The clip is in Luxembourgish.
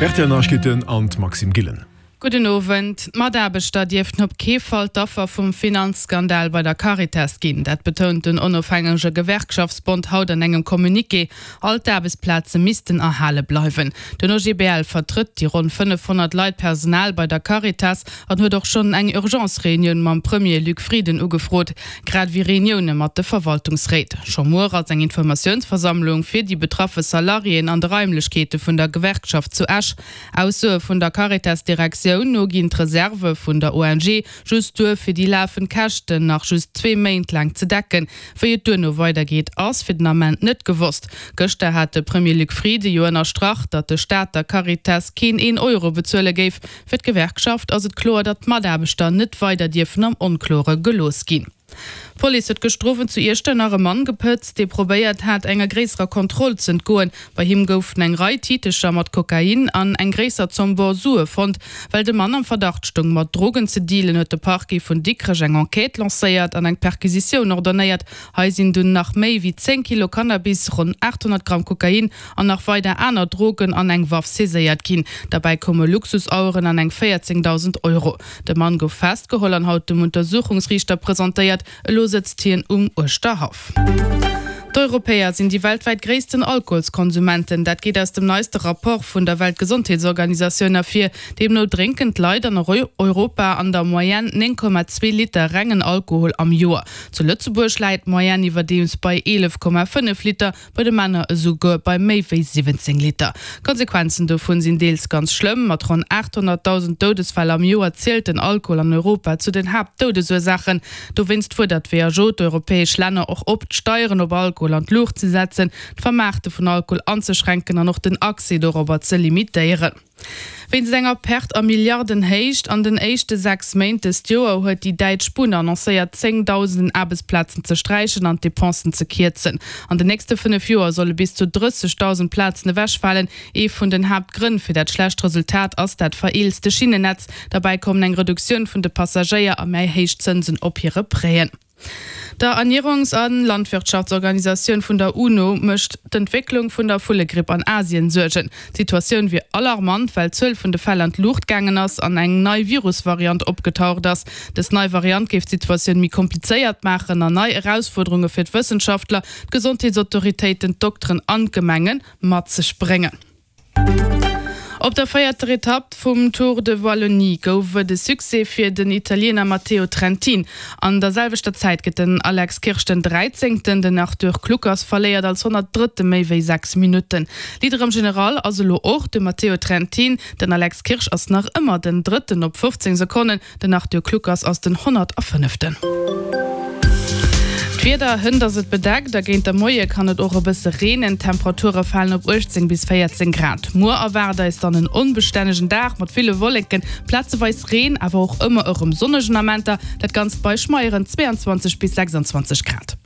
Rtl Neiegkeeten an d'Maxime Gillen. Gudden Owend. D'Mataarbechter dierften op kee Fall d'Affer vum Finanzskandal bei der Caritas ginn. Dat betount den onofhängege Gewerkschaftsbond haut an engem Communiqué. All d'Aarbechtsplaze missten erhale bleiwen. Den OGBL vertrëtt déi ronn 500 Leit Personal bei der Caritas an huet och schonn eng Urgence-Reunioun mam Premier Luc Frieden ugefrot, grad ewéi Reunioune mat de Verwaltungsréit. Scho muer ass eng Informatiounsversammlung fir déi betraffe Salariéen an de Raimlechkeete vun der Gewerkschaft zu Esch. Aussoe vun der Caritas-Direktioun no ginn d'Reserve vun der ONG just duer, fir déi lafend Käschten nach just zwee Méint laang ze decken. Wéi et duerno weidergeet, ass fir den Ament net gewosst. Gëschter hat de Premier Luc Frieden jo ënnerstrach, datt de Staat der Caritas keen een Euro bezuele géif. Fir d'Gewerkschaft ass et kloer, datt d'Mataarbechter net weider dierfen am Onklore gelooss ginn. D'Police huet gëschter Owend zu Iechternach e Mann gepëtzt, dee probéiert hat, enger gréisserer Kontroll z'entgoen. Bei him goufen eng Rei Titecher mat Kokain an eng gréisser Zomm bor Sue fonnt. Well de Mann am Verdacht stoung, mat Drogen ze dealen, huet de Parquet vun Dikrech eng Enquête lancéiert an eng Perquisitioun ordonnéiert. Hei sinn dunn nach méi wéi 10 Kilo Cannabis, ronn 800 Gramm Kokain an nach weider aner Drogen an eng Waff saiséiert ginn. Derbäi koume Luxusaueren an eng 14.000 Euro. De Mann gouf festgeholl an haut dem Untersuchungsriichter presentéiert. Elo sëtzt hien um Uerschterhaff. D'Europäer sinn déi weltwäit gréissten Alkoholskonsumenten. Dat geet aus dem neiste Rapport vun der Weltgesondheetsorganisatioun ervir. Deemno drénken d'Leit an Europa an der Moyenne 9,2 Liter rengen Alkohol am Joer. Zu Lëtzebuerg läit d'Moyenne iwwerdeems bei 11,5 Liter. Bei de Männer esouguer bei méi wéi 17 Liter. D'Konsequenzen dovun sinn deels ganz schlëmm. Mat ronn 800.000 Doudesfäll am Joer zielt den Alkohol an Europa zu den Haaptdoudesursaachen. Dowéinst fuerdert d'WHO d'europäesch Länner och op, d'Steieren op Alkohol an d'Luucht ze setzen, d'Vermaarte vun Alkohol anzeschränken an och den Accès dorobber ze limitéieren. Wéinst enger Perte a Milliardenhéicht an den éischte 6 Méint dëst Joer huet déi däitsch Bunn annoncéiert, zéngdausenden Aarbechtsplazen ze sträichen an d'Depensen ze kierzen. An den nächste 5 Joer solle bis zu 30.000 Plazen ewechfalen. Ee vun den Haaptgrënn fir dat schlecht Resultat ass dat vereelzte Schinnennetz. Derbäi kommen eng Reduktioun vun de Passagéier a méi héich Zënsen op hire Prêten. Der Ernierungs a Landwirtschaftsorganisatioun vun der UNO mécht d'Entwécklung vun der Vullegripp an Asien Suergen. D'Situatioun wier alarmant, well d'Zuel vun de Fäll an d'Luucht gaangen ass an eng nei Virusvariant opgetaucht ass. Dës nei Variant géif d'Situatioun méi komplizéiert maachen an nei Erausfuerderunge fir d'Wëssenschaftler, d'Gesondheetsautoritéiten, d'Dokteren an d'Gemenge mat sech bréngen. Op der véierter Etapp vum Tour de Wallonie gouf et e Succès fir den Italiener Matteo Trentin. An der selwechter Zäit gëtt den Alex Kirsch den Dräizéngten. Den Arthur Kluckers verléiert als 103. méi wéi 6 Minutten. Leader am General ass elo och de Matteo Trentin. Den Alex Kirsch ass nach ëmmer den Drëtten op 15 Sekonnen. Den Arthur Kluckers ass den 105. D'Wieder, Hënt ass et bedeckt a géint der Moie kann et och e bësse reenen. D'Temperature falen op 18 bis 14 Grad. Muer erwaart eis dann en onbestännegen Dag mat ville Wolleken, plazeweis Reen, awer och ëmmer erëm sonnegen Amenter. Dat Ganzt bei schmeieren 22 bis 26 Grad.